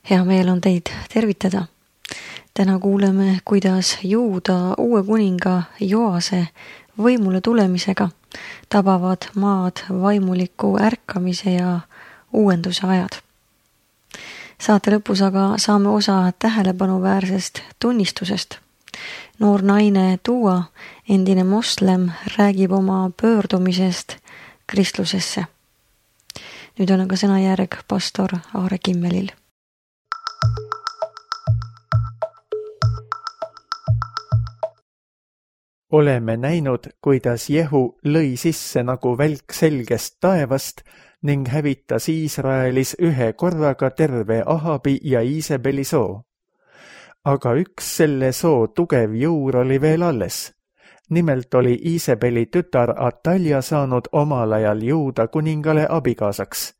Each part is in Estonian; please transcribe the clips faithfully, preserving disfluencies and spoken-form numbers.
Hea meel on teid tervitada. Täna kuuleme, kuidas Juuda uue kuninga Joase võimule tulemisega tabavad maad vaimuliku ärkamise ja uuenduse ajad. Saate lõpus aga saame osa tähelepanuväärsest tunnistusest. Noor naine Tuua, endine moslem, räägib oma pöördumisest kristlusesse. Nüüd on aga sõnajärg pastor Aare Kimmelil. Oleme näinud, kuidas Jehu lõi sisse nagu välk selgest taevast ning hävitas Iisraelis ühe korraga terve Ahabi ja Iisebeli soo. Aga üks selle soo tugev juur oli veel alles. Nimelt oli Iisebeli tütar Atalja saanud omal ajal Juuda kuningale abikaasaks.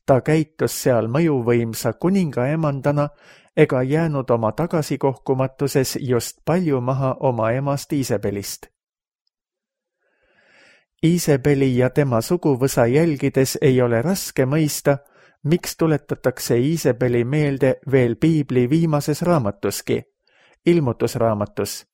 Ta käitus seal mõjuvõimsa kuninga emandana ega jäänud oma tagasikohkumatuses just palju maha oma emast Iisebelist. Iisebeli ja tema suguvõsa jälgides ei ole raske mõista, miks tuletatakse Iisebeli meelde veel piibli viimases raamatuski, ilmutusraamatus.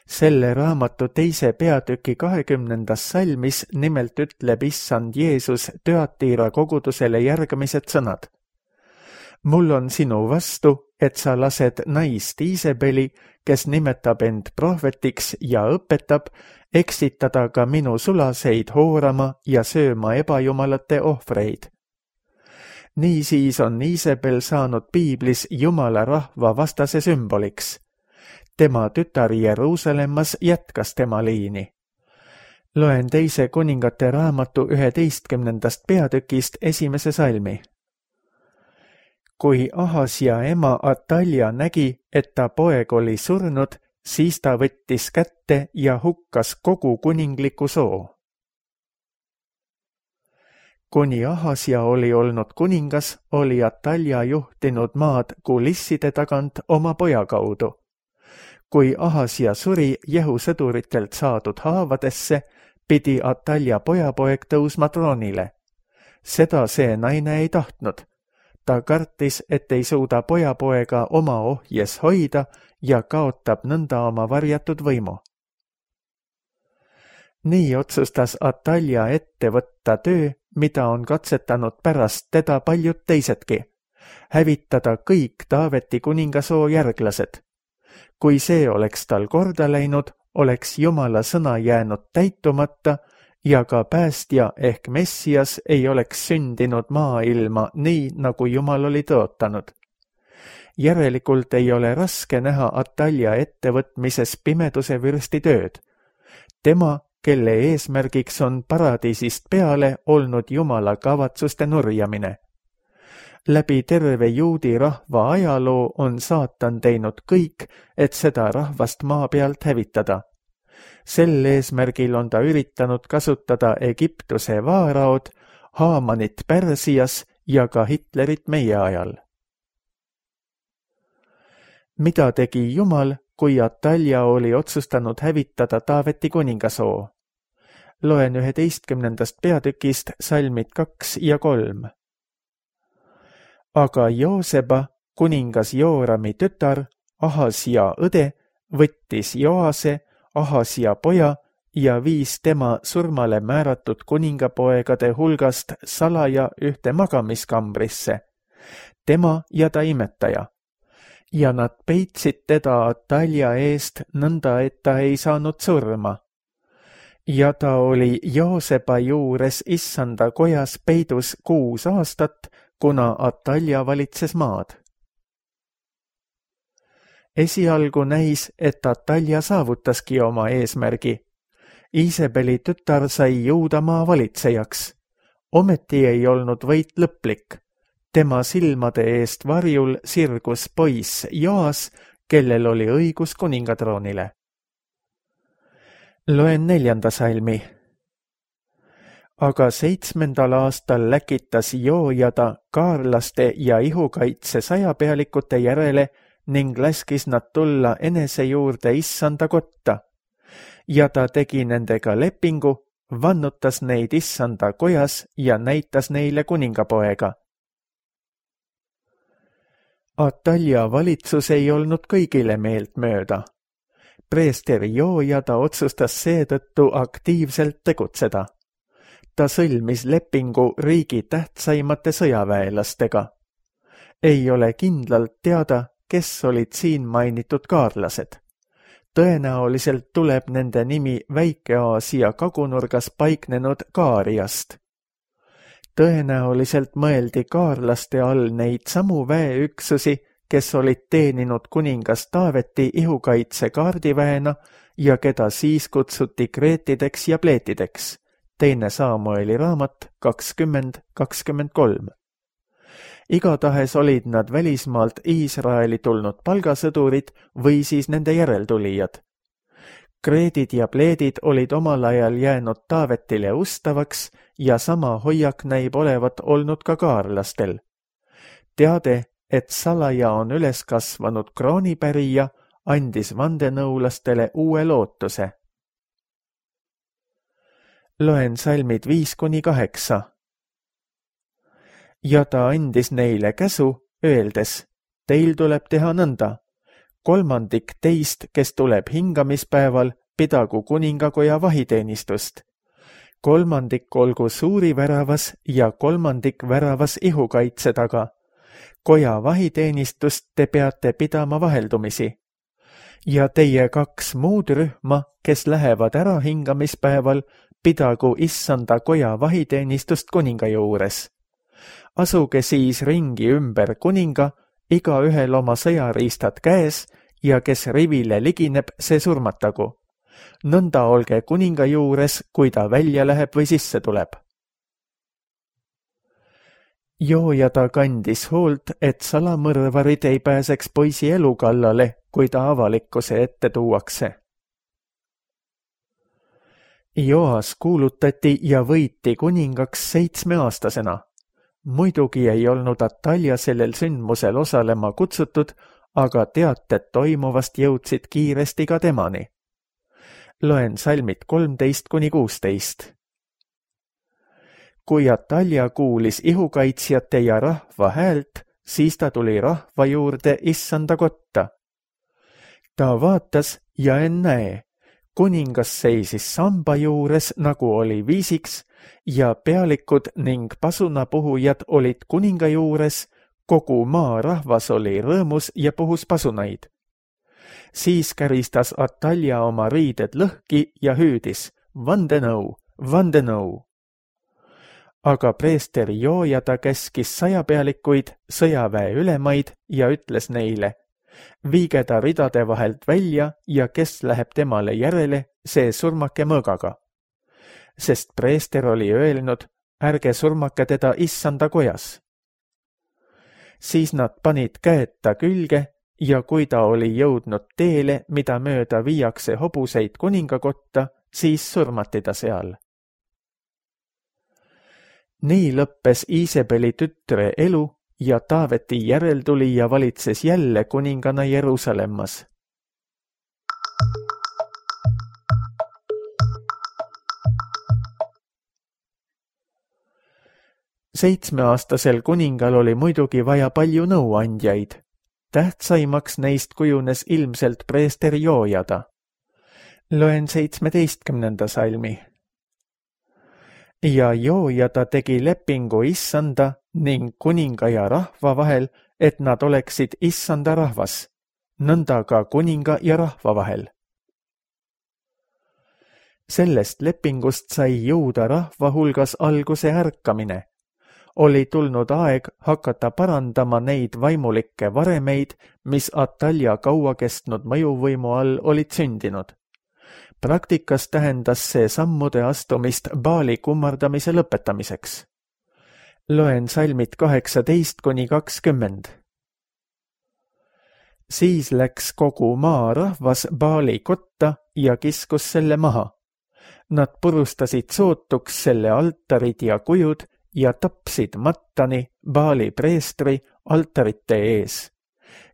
Selle raamatu teise peatüki kahekümnendas salmis nimelt ütleb issand Jeesus Tüatira kogudusele järgmised sõnad. Mul on sinu vastu, et sa lased naist Iisebeli, kes nimetab end prohvetiks ja õpetab, eksitada ka minu sulaseid hoorama ja sööma ebajumalate ohvreid. Niisiis on Iisebel saanud piiblis Jumala rahva vastase sümboliks. Tema tütar Jeruusalemmas jätkas tema liini. Loen teise kuningate raamatu üheteistkümnendast peatükist esimese salmi. Kui Ahasja ema Atalja nägi, et ta poeg oli surnud, siis ta võttis kätte ja hukkas kogu kuningliku soo. Kuni Ahasja oli olnud kuningas, oli Atalja juhtinud maad kulisside tagant oma poja kaudu. Kui Ahasja suri Jehu sõduritelt saadud haavadesse, pidi Atalja pojapoeg tõusma troonile. Seda see naine ei tahtnud. Ta kartis, et ei suuda pojapoega oma ohjes hoida ja kaotab nõnda oma varjatud võimu. Nii otsustas Atalja ette võtta töö, mida on katsetanud pärast teda paljud teisedki, hävitada kõik Taaveti kuningasoo järglased. Kui see oleks tal korda läinud, oleks Jumala sõna jäänud täitumata ja ka päästja ehk Messias ei oleks sündinud maailma nii, nagu Jumal oli tõotanud. Järelikult ei ole raske näha Atalja ettevõtmises pimeduse vürsti tööd. Tema, kelle eesmärgiks on paradiisist peale olnud Jumala kavatsuste nurjamine. Läbi terve juudi rahva ajaloo on saatan teinud kõik, et seda rahvast maa pealt hävitada. Sel eesmärgil on ta üritanud kasutada Egiptuse vaaraod, Haamanit Pärsias ja ka Hitlerit meie ajal. Mida tegi Jumal, kui Atalja oli otsustanud hävitada Taaveti kuningasoo? Loen üheteistkümnendast peatükist salmid kaks ja kolm. Aga Jooseba, kuningas Joorami tütar, Ahasja õde, võttis Joase, Ahasja poja ja viis tema surmale määratud kuningapoegade hulgast salaja ühte magamiskambrisse, tema ja ta imetaja. Ja nad peitsid teda Atalja eest nõnda, et ta ei saanud surma. Ja ta oli Jooseba juures issanda kojas peidus kuus aastat, kuna Atalja valitses maad. Esialgu näis, et Atalja saavutaski oma eesmärgi. Iisebeli tütar sai Juudamaa valitsejaks. Ometi ei olnud võit lõplik. Tema silmade eest varjul sirgus poiss Joas, kellel oli õigus kuningatroonile. Loen neljanda salmi. Aga seitsmendal aastal läkitas Joojada kaarlaste ja ihukaitse sajapealikute järele ning laskis nad tulla enese juurde issanda kotta. Ja ta tegi nendega lepingu, vannutas neid issanda kojas ja näitas neile kuningapoega. Atalja valitsus ei olnud kõigile meeltmööda. Preester Joojada otsustas seetõttu aktiivselt tegutseda. Ta sõlmis lepingu riigi tähtsaimate sõjaväelastega. Ei ole kindlalt teada, kes olid siin mainitud kaarlased. Tõenäoliselt tuleb nende nimi Väike-Aasia kagunurgas paiknenud Kaariast. Tõenäoliselt mõeldi kaarlaste all neid samu väeüksusi, kes olid teeninud kuningas Taaveti ihukaitse kaardiväena ja keda siis kutsuti kreetideks ja pleetideks. Teine Saamueli raamat kakskümmend kakskümmend kolm. Igatahes olid nad välismaalt Iisraeli tulnud palgasõdurid või siis nende järeltulijad. Kreedid ja pleedid olid omal ajal jäänud Taavetile ustavaks ja sama hoiak näib olevat olnud ka kaarlastel. Teade, et salaja on üles kasvanud kroonipärija, andis vandenõulastele uue lootuse. Loen salmid viis kuni kaheksa. Ja ta andis neile käsu, öeldes, teil tuleb teha nõnda. Kolmandik teist, kes tuleb hingamispäeval, pidagu kuningakoja vahiteenistust. Kolmandik olgu suuri väravas ja kolmandik väravas ihukaitse taga. Koja vahiteenistust te peate pidama vaheldumisi. Ja teie kaks muud rühma, kes lähevad ära hingamispäeval, pidagu issanda koja vahiteenistust kuninga juures. Asuge siis ringi ümber kuninga, iga ühel oma sõjariistad käes ja kes rivile ligineb, see surmatagu. Nõnda olge kuninga juures, kui ta välja läheb või sisse tuleb. Joojada kandis hoolt, et salamõrvarid ei pääseks poisi elu kallale, kui ta avalikkuse ette tuuakse. Joas kuulutati ja võiti kuningaks seitsmeaastasena. Muidugi ei olnud Atalja sellel sündmusel osalema kutsutud, aga teated toimuvast jõudsid kiiresti ka temani. Loen salmid kolmteist kuni kuusteist. Kui Atalja kuulis ihukaitsjate ja rahva häält, siis ta tuli rahva juurde issanda kotta. Ta vaatas ja ennäe, kuningas seisis samba juures, nagu oli viisiks, ja pealikud ning pasunapuhujad olid kuninga juures, kogu maa rahvas oli rõõmus ja puhus pasunaid. Siis käristas Atalja oma riided lõhki ja hüüdis, vandenõu, vandenõu. Aga preester Joojada käskis sajapealikuid, sõjaväe ülemaid ja ütles neile, viige ta ridade vahelt välja ja kes läheb temale järele, see surmake mõõgaga. Sest preester oli öelnud, ärge surmake teda issanda kojas. Siis nad panid käed ta külge ja kui ta oli jõudnud teele, mida mööda viiakse hobuseid kuningakotta, siis surmati ta seal. Nii lõppes Iisebeli tütre elu ja Taaveti järeltulija valitses jälle kuningana Jeruusalemmas. Seitsmeaastasel kuningal oli muidugi vaja palju nõuandjaid. Tähtsaimaks neist kujunes ilmselt preester Joojada. Loen seitsmeteistkümnenda salmi. Ja Joojada tegi lepingu issanda ning kuninga ja rahva vahel, et nad oleksid issanda rahvas, nõnda ka kuninga ja rahva vahel. Sellest lepingust sai Juuda rahva hulgas alguse ärkamine. Oli tulnud aeg hakata parandama neid vaimulikke varemeid, mis Atalja kaua kestnud mõjuvõimu all olid sündinud. Praktikas tähendas see sammude astumist Baali kummardamise lõpetamiseks. Loen salmid kaheksateist kuni kakskümmend. Siis läks kogu maa rahvas Baali kotta ja kiskus selle maha. Nad purustasid sootuks selle altarid ja kujud ja tapsid Mattani, Baali preestri, altarite ees.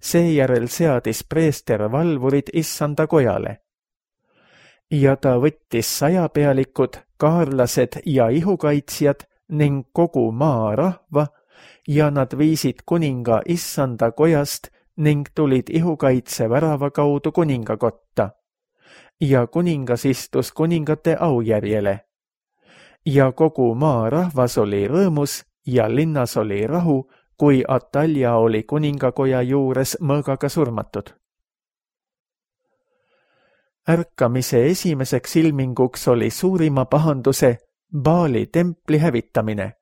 Seejärel seadis preester valvurid issanda kojale. Ja ta võttis sajapealikud, kaarlased ja ihukaitsjad ning kogu maa rahva ja nad viisid kuninga issanda kojast ning tulid ihukaitse värava kaudu kuningakotta. Ja kuningas istus kuningate aujärjele. Ja kogu maa rahvas oli rõõmus ja linnas oli rahu, kui Atalja oli kuningakoja juures mõõgaga surmatud. Ärkamise esimeseks ilminguks oli suurima pahanduse Baali templi hävitamine.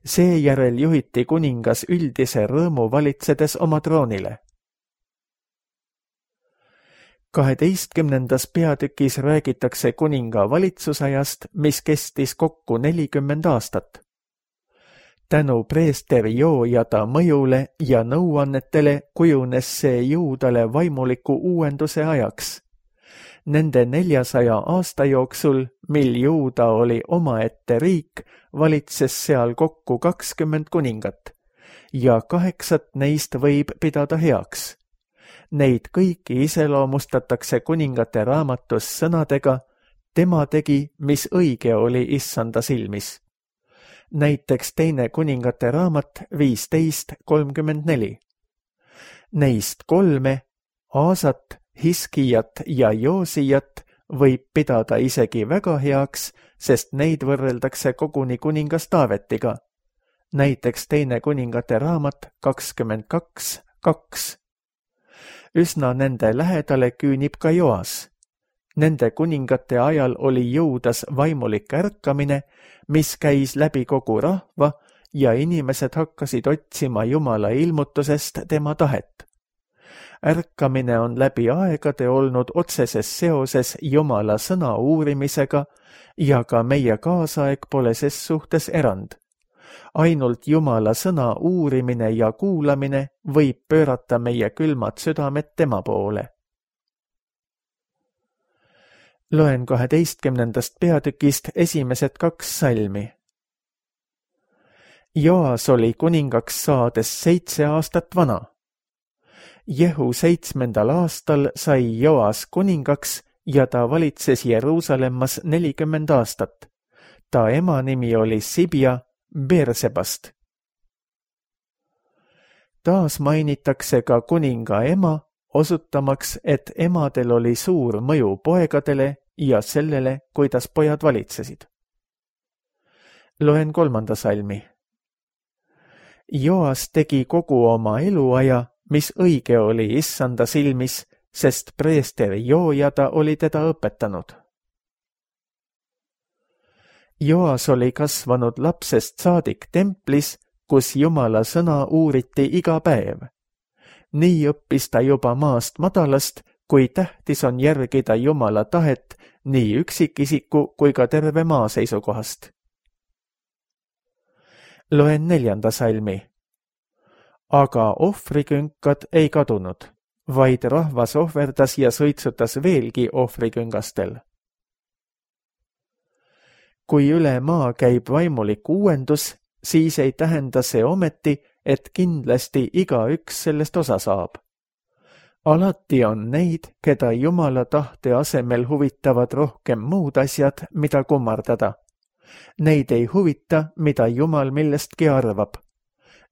Seejärel juhiti kuningas üldise rõõmu valitsedes oma troonile. kaheteistkümnendas peatükis räägitakse kuninga valitsusajast, mis kestis kokku nelikümmend aastat. Tänu preester Joojada mõjule ja nõuannetele kujunes see juudale vaimuliku uuenduse ajaks. Nende neljasaja aasta jooksul, mil Juuda oli omaette riik, valitses seal kokku kakskümmend kuningat ja kaheksat neist võib pidada heaks. Neid kõiki iseloomustatakse kuningate raamatus sõnadega, tema tegi, mis õige oli issanda silmis. Näiteks teine kuningate raamat viisteist kolmkümmend neli. Neist kolme, Aasat, Hiskijat ja Joosijat võib pidada isegi väga heaks, sest neid võrreldakse koguni kuningas Taavetiga. Näiteks teine kuningate raamat kakskümmend kaks kaks. Üsna nende lähedale küünib ka Joas. Nende kuningate ajal oli Juudas vaimulik ärkamine, mis käis läbi kogu rahva ja inimesed hakkasid otsima Jumala ilmutusest tema tahet. Ärkamine on läbi aegade olnud otseses seoses Jumala sõna uurimisega ja ka meie kaasaeg pole ses suhtes erand. Ainult Jumala sõna uurimine ja kuulamine võib pöörata meie külmad südamed tema poole. Loen kaheteistkümnendast peatükist esimesed kaks salmi. Joas oli kuningaks saades seitse aastat vana. Jehu seitsmendal aastal sai Joas kuningaks ja ta valitses Jeruusalemmas nelikümmend aastat. Ta ema nimi oli Sibia Beersebast. Taas mainitakse ka kuninga ema, osutamaks, et emadel oli suur mõju poegadele ja sellele, kuidas pojad valitsesid. Loen kolmanda salmi. Joas tegi kogu oma eluaja, mis õige oli issanda silmis, sest preester Joojada oli teda õpetanud. Joas oli kasvanud lapsest saadik templis, kus Jumala sõna uuriti iga päev. Nii õppis ta juba maast madalast, kui tähtis on järgida Jumala tahet nii üksikisiku kui ka terve maa seisukohast. Loen neljanda salmi. Aga ohvrikünkad ei kadunud, vaid rahvas ohverdas ja sõitsutas veelgi ohvriküngastel. Kui üle maa käib vaimulik uuendus, siis ei tähenda see ometi, et kindlasti igaüks sellest osa saab. Alati on neid, keda Jumala tahte asemel huvitavad rohkem muud asjad, mida kummardada. Neid ei huvita, mida Jumal millestki arvab.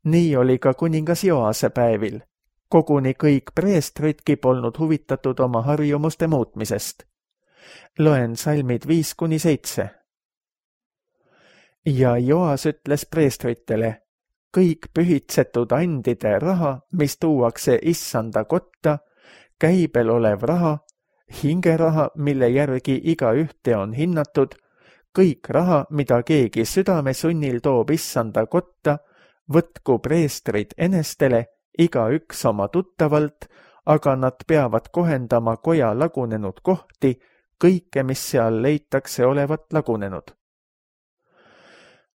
Nii oli ka kuningas Joase päevil. Koguni kõik preestritki polnud huvitatud oma harjumuste muutmisest. Loen salmid viis kuni seitse. Ja Joas ütles preestritele, kõik pühitsetud andide raha, mis tuuakse issanda kotta, käibel olev raha, hingeraha, mille järgi iga ühte on hinnatud, kõik raha, mida keegi südame sunnil toob issanda kotta, võtku preestrid enestele, iga üks oma tuttavalt, aga nad peavad kohendama koja lagunenud kohti, kõike, mis seal leitakse olevat lagunenud.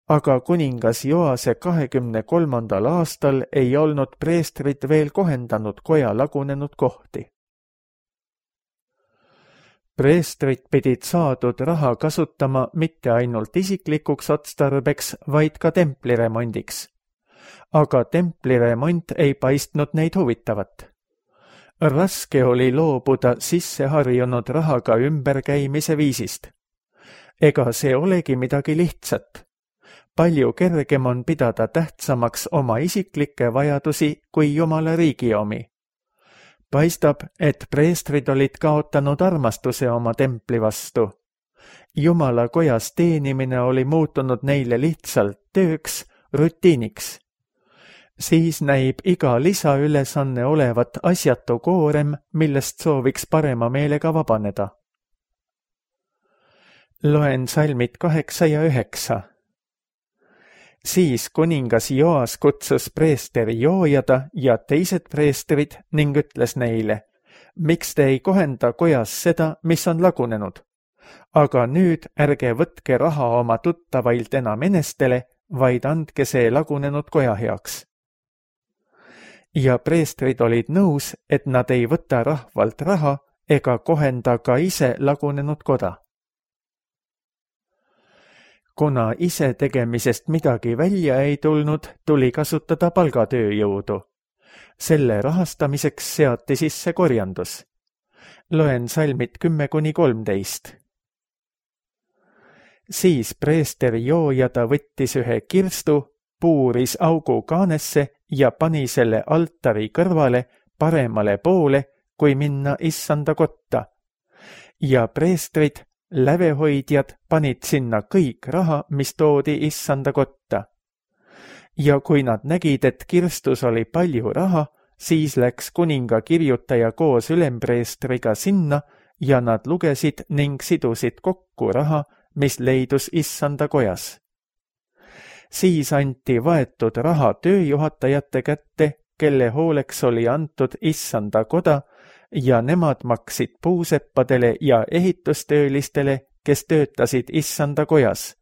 Aga kuningas Joase kahekümne kolmandal aastal ei olnud preestrid veel kohendanud koja lagunenud kohti. Preestrid pidid saadud raha kasutama mitte ainult isiklikuks otstarbeks, vaid ka templiremondiks. Aga templiremont ei paistnud neid huvitavat. Raske oli loobuda sisseharjunud rahaga ümberkäimise viisist. Ega see olegi midagi lihtsat. palju kergem on pidada tähtsamaks oma isiklikke vajadusi kui Jumala riigi omi. Paistab, et preestrid olid kaotanud armastuse oma templi vastu. Jumala kojas teenimine oli muutunud neile lihtsalt tööks, rutiiniks. Siis näib iga lisaülesanne olevat asjatu koorem, millest sooviks parema meelega vabaneda. Loen salmid kaheksa ja üheksa. Siis kuningas Joas kutsus preesteri Joojada ja teised preestrid ning ütles neile, miks te ei kohenda kojas seda, mis on lagunenud? Aga nüüd ärge võtke raha oma tuttavailt enam enestele, vaid andke see lagunenud koja heaks. Ja preestrid olid nõus, et nad ei võta rahvalt raha ega kohenda ka ise lagunenud koda. Kuna ise tegemisest midagi välja ei tulnud, tuli kasutada palgatööjõudu. Selle rahastamiseks seati sisse korjandus. Loen salmid kümme kuni kolmteist. Siis preester Joojada võttis ühe kirstu, puuris augu kaanesse ja pani selle altari kõrvale paremale poole, kui minna issanda kotta. Ja preestrid, lävehoidjad panid sinna kõik raha, mis toodi issanda kotta. Ja kui nad nägid, et kirstus oli palju raha, siis läks kuninga kirjutaja koos ülempreestriga sinna ja nad lugesid ning sidusid kokku raha, mis leidus issanda kojas. Siis anti vaetud raha tööjuhatajate kätte, kelle hooleks oli antud issanda koda, ja nemad maksid puuseppadele ja ehitustöölistele, kes töötasid issanda kojas,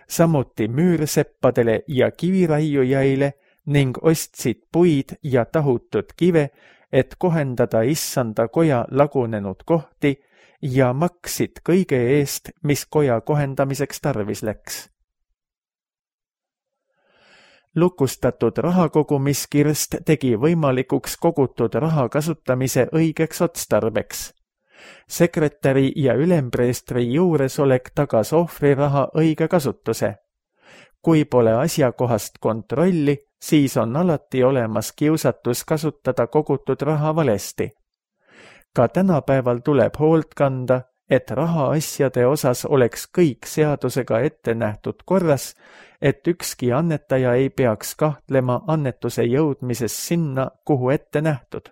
samuti müürseppadele ja kiviraiujaile ning ostsid puid ja tahutud kive, et kohendada issanda koja lagunenud kohti ja maksid kõige eest, mis koja kohendamiseks tarvis läks. Lukustatud rahakogumiskirst tegi võimalikuks kogutud raha kasutamise õigeks otstarbeks. Sekretäri ja ülempreestri juuresolek tagas ohvriraha õige kasutuse. Kui pole asjakohast kontrolli, siis on alati olemas kiusatus kasutada kogutud raha valesti. Ka tänapäeval tuleb hoolt kanda, et rahaasjade osas oleks kõik seadusega ette nähtud korras, et ükski annetaja ei peaks kahtlema annetuse jõudmises sinna, kuhu ette nähtud.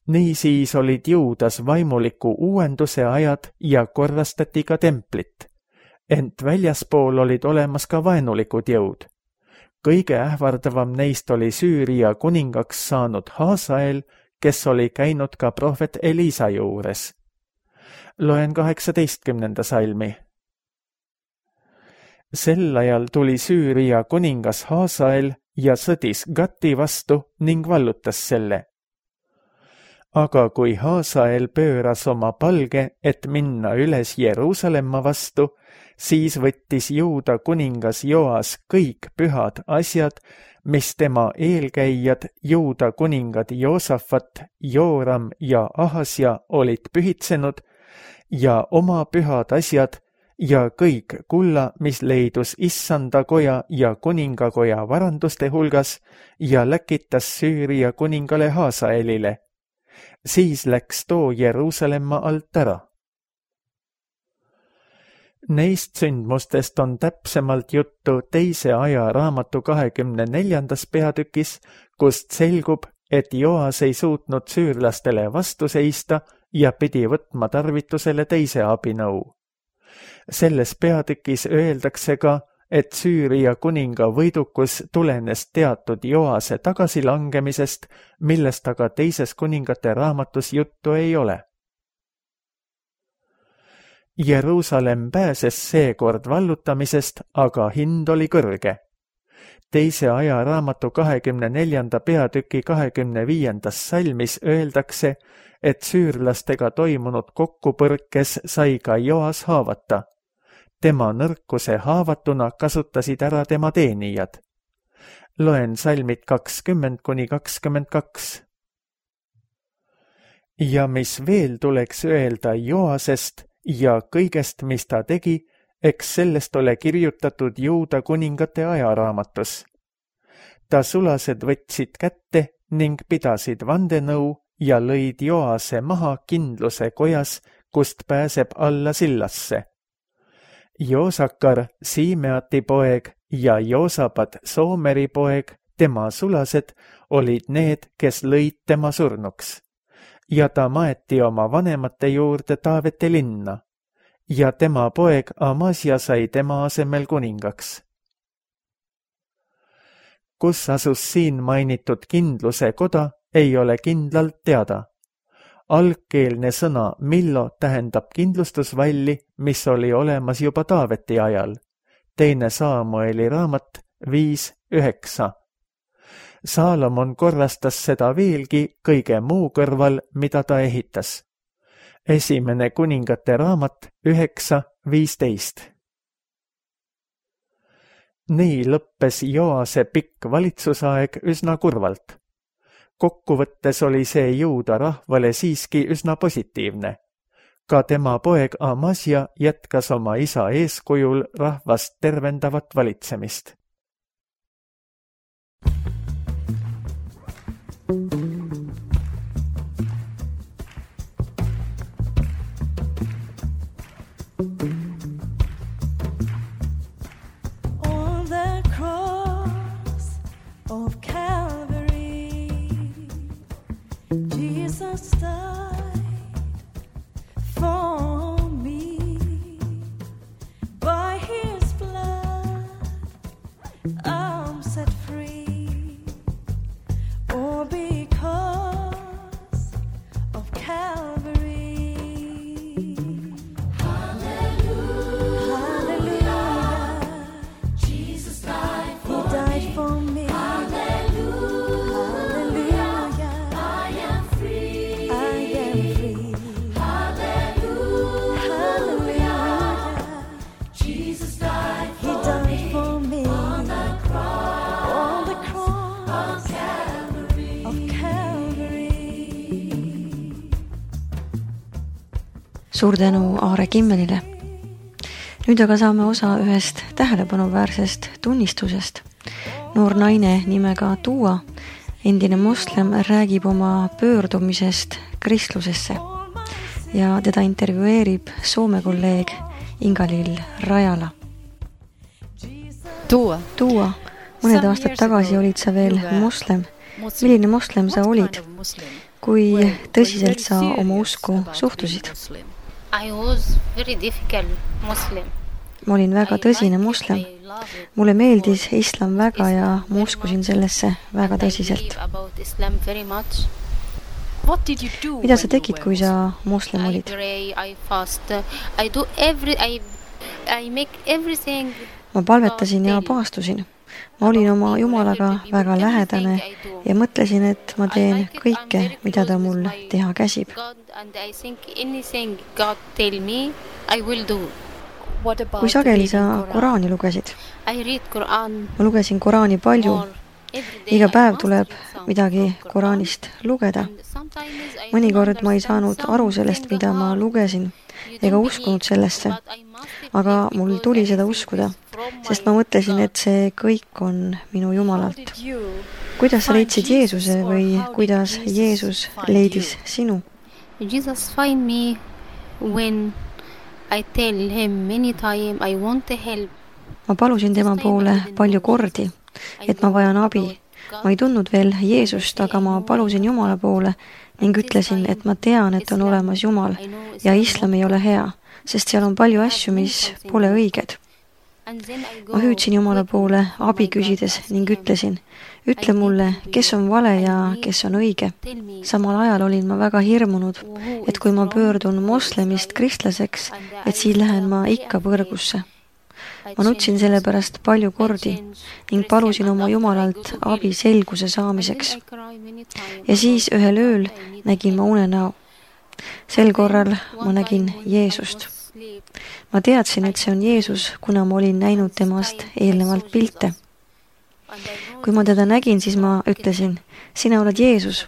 Niisiis olid Juudas vaimuliku uuenduse ajad ja korrastati ka templit, ent väljaspool olid olemas ka vaenulikud jõud. Kõige ähvardavam neist oli Süüria kuningaks saanud Haasael, kes oli käinud ka prohvet Elisa juures. Loen kaheksateistkümnenda salmi. Sel ajal tuli Süüria kuningas Haasael ja sõdis Gati vastu ning vallutas selle. Aga kui Haasael pööras oma palge, et minna üles Jeruusalemma vastu, siis võttis Juuda kuningas Joas kõik pühad asjad, mis tema eelkäijad, Juuda kuningad Joosafat, Jooram ja Ahasja olid pühitsenud, ja oma pühad asjad ja kõik kulla, mis leidus issanda koja ja kuningakoja varanduste hulgas, ja läkitas Süüria kuningale Haasaelile. Siis läks too Jeruusalemma alt ära. Neist sündmustest on täpsemalt juttu teise aja raamatu kahekümne neljandas peatükis, kust selgub, et Joas ei suutnud süürlastele vastu seista ja pidi võtma tarvitusele teise abinõu. Selles peatükis öeldakse ka, et Süüria kuninga võidukus tulenes teatud Joase tagasilangemisest, millest aga teises kuningate raamatus juttu ei ole. Jeruusalemm pääses seekord vallutamisest, aga hind oli kõrge. Teise aja raamatu kahekümne neljanda peatüki kahekümne viiendas salmis öeldakse, et süürlastega toimunud kokkupõrkes sai ka Joas haavata. Tema nõrkuse haavatuna kasutasid ära tema teenijad. Loen salmid kakskümmend kuni kakskümmend kaks. ja mis veel tuleks öelda Joasest ja kõigest, mis ta tegi, eks sellest ole kirjutatud Juuda kuningate ajaraamatus. Ta sulased võtsid kätte ning pidasid vandenõu ja lõid Joase maha kindluse kojas, kust pääseb alla sillasse. Joosakar, Siimeati poeg ja Joosapat, Soomeri poeg, tema sulased, olid need, kes lõid tema surnuks. Ja ta maeti oma vanemate juurde Taaveti linna ja tema poeg Amasia sai tema asemel kuningaks. Kus asus siin mainitud kindluse koda, ei ole kindlalt teada. Algkeelne sõna millo tähendab kindlustusvalli, mis oli olemas juba Taaveti ajal. Teine Saamueli raamat viis üheksa. Saalomon korrastas seda veelgi kõige muu kõrval, mida ta ehitas. Esimene kuningate raamat üheksa viisteist. Nii lõppes Joase pikk valitsusaeg üsna kurvalt. Kokkuvõttes oli see Juuda rahvale siiski üsna positiivne. Ka tema poeg Amasia jätkas oma isa eeskujul rahvast tervendavat valitsemist. On the cross of Calvary, Jesus died for me. By his blood I'm set free. Oh, because of Calvary. Hallelujah. Hallelujah. Jesus died for He died me. For me. Hallelujah. Hallelujah. I am free. I am free. Hallelujah. Hallelujah. Jesus died for He died me. For me. On the cross. On the cross. Of Calvary. Of Calvary. Suur tänu Aare Kimmelile. Nüüd aga saame osa ühest tähelepanuväärsest tunnistusest. Noor naine nimega Tuua, endine moslem, räägib oma pöördumisest kristlusesse ja teda intervjueerib Soome kolleeg Ingalill Rajala. Tuua. Tuua, mõned aastad tagasi olid sa veel moslem. Milline moslem sa olid? Kui tõsiselt sa oma usku suhtusid? I was very difficult Muslim. Ma olin väga tõsine moslem. Mulle meeldis islam väga ja ma uskusin sellesse väga tõsiselt. Mida sa tegid, kui sa moslem olid? Ma palvetasin ja paastusin. Ma olin oma Jumalaga väga lähedane ja mõtlesin, et ma teen kõike, mida ta mul teha käsib. Kui sageli sa Koraani lugesid? Ma lugesin Koraani palju. Iga päev tuleb midagi Koraanist lugeda. Mõnikord ma ei saanud aru sellest, mida ma lugesin, ega uskunud sellesse. Aga mul tuli seda uskuda, sest ma mõtlesin, et see kõik on minu Jumalalt. Kuidas sa leidsid Jeesuse või kuidas Jeesus leidis sinu? Jesus find me when I tell him many time I want to help. Ma palusin tema poole palju kordi, et ma vajan abi. Ma ei tundnud veel Jeesust, aga ma palusin Jumala poole ning ütlesin, et ma tean, et on olemas Jumal ja islam ei ole hea, sest seal on palju asju, mis pole õiged. Ma hüüdsin Jumala poole abi küsides ning ütlesin, ütle mulle, kes on vale ja kes on õige. Samal ajal olin ma väga hirmunud, et kui ma pöördun moslemist kristlaseks, et siis lähen ma ikka põrgusse. Ma nutsin selle pärast palju kordi ning palusin oma Jumalalt abi selguse saamiseks. Ja siis ühel ööl nägin ma unenäo. Sel korral ma nägin Jeesust. Ma teadsin, et see on Jeesus, kuna ma olin näinud temast eelnevalt pilte. kui ma teda nägin, siis ma ütlesin, sina oled Jeesus,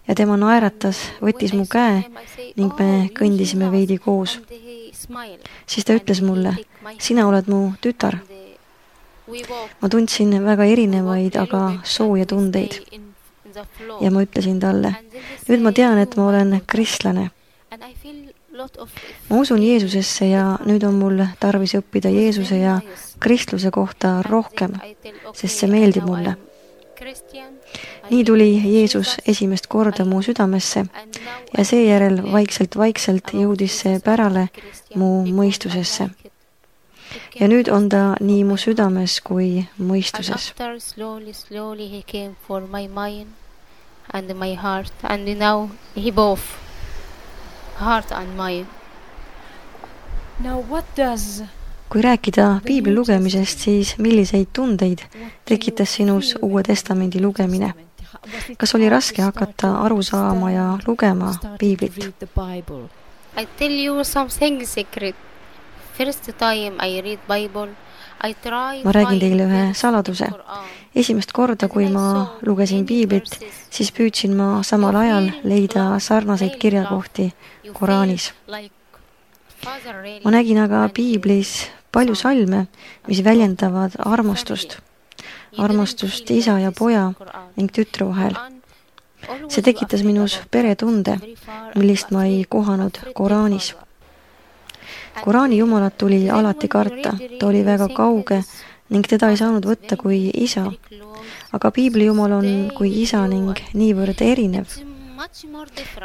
ja tema naeratas, võttis mu käe ning me kõndisime veidi koos. Siis ta ütles mulle, sina oled mu tütar. Ma tundsin väga erinevaid, aga sooja tundeid. Ja ma ütlesin talle, nüüd ma tean, et ma olen kristlane. Ma usun Jeesusesse ja nüüd on mul tarvis õppida Jeesuse ja kristluse kohta rohkem, sest see meeldib mulle. Nii tuli Jeesus esimest korda mu südamesse ja seejärel vaikselt-vaikselt jõudis see pärale mu mõistusesse. Ja nüüd on ta nii mu südames kui mõistuses. And my heart, and now he both heart and mind. Now what does Kui rääkida piibli lugemisest, siis milliseid tundeid tekitas sinus Uue Testamendi lugemine? Kas oli raske hakata aru saama ja lugema piiblit? I tell you something secret. First time I read Bible, I try Ma räägin teile ühe saladuse. Esimest korda, kui ma lugesin piiblit, siis püüdsin ma samal ajal leida sarnaseid kirjakohti Koraanis. Ma nägin aga piiblis palju salme, mis väljendavad armastust. Armastust isa ja poja ning tütre vahel. See tekitas minus peretunde, millist ma ei kohanud Koraanis. Koraani jumalat tuli alati karta, ta oli väga kauge ning teda ei saanud võtta kui isa. Aga piibli jumal on kui isa ning niivõrd erinev.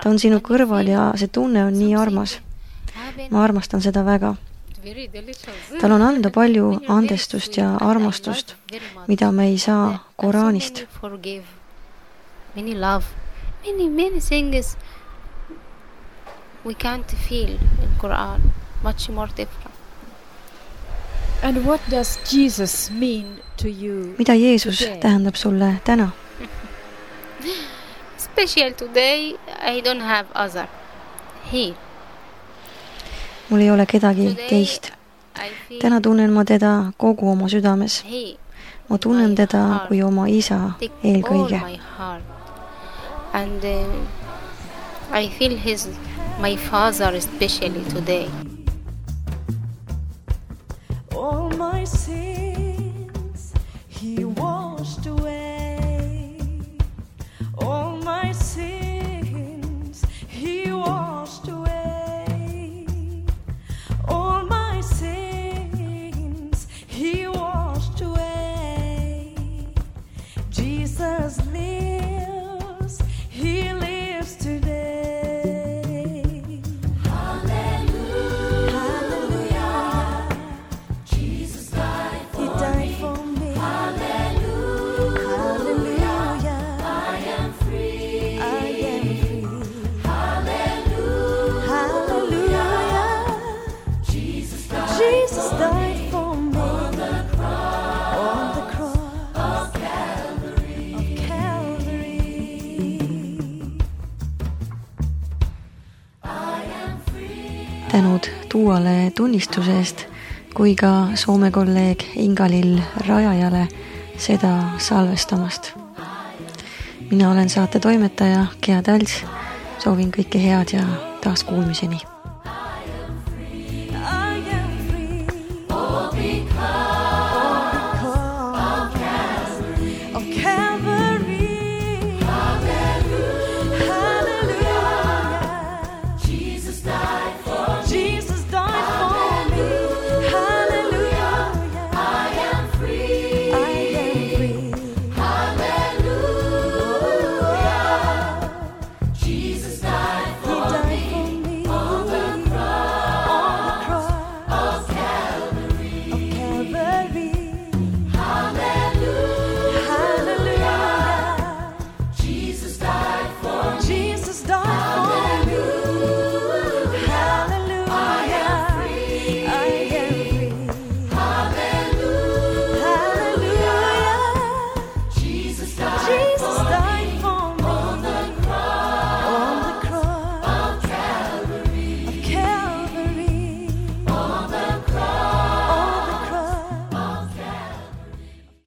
Ta on sinu kõrval ja see tunne on nii armas. Ma armastan seda väga. Tal on anda palju andestust ja armastust, mida me ei saa Koraanist. Many love, many, many things we can't feel in Quran. Much more different. And what does Jesus mean to you? Mida Jeesus tähendab sulle täna? Special today, I don't have other. He. Mul ei ole kedagi teist. Täna tunnen ma teda kogu oma südames. Ma tunnen teda kui oma isa eelkõige. And uh, I feel his, my father especially today. All my sins he washed away. All my sins he washed away. All my sins he washed away. Jesus lives, he lives today. Tänud Tuuale tunnistuse eest kui ka Soome kolleeg Ingalill Rajajale seda salvestamast. Mina olen saate toimetaja Gea Täls. Soovin kõike head ja taas kuulmiseni. Calvary.